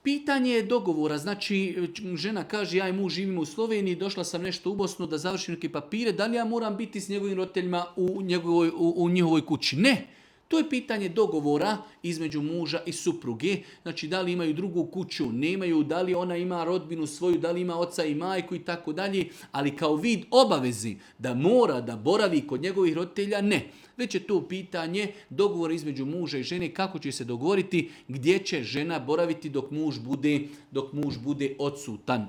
Pitanje je dogovora, znači žena kaže ja i muž živimo u Sloveniji, došla sam nešto u Bosnu da završim neke papire, da li ja moram biti s njegovim roditeljima u njihovoj kući? Ne. To je pitanje dogovora između muža i supruge. Znači da li imaju drugu kuću, nemaju, da li ona ima rodbinu svoju, da li ima oca i majku i tako dalje. Ali kao vid obavezi da mora da boravi kod njegovih roditelja, ne. Već je to pitanje dogovora između muža i žene kako će se dogovoriti gdje će žena boraviti dok muž bude odsutan.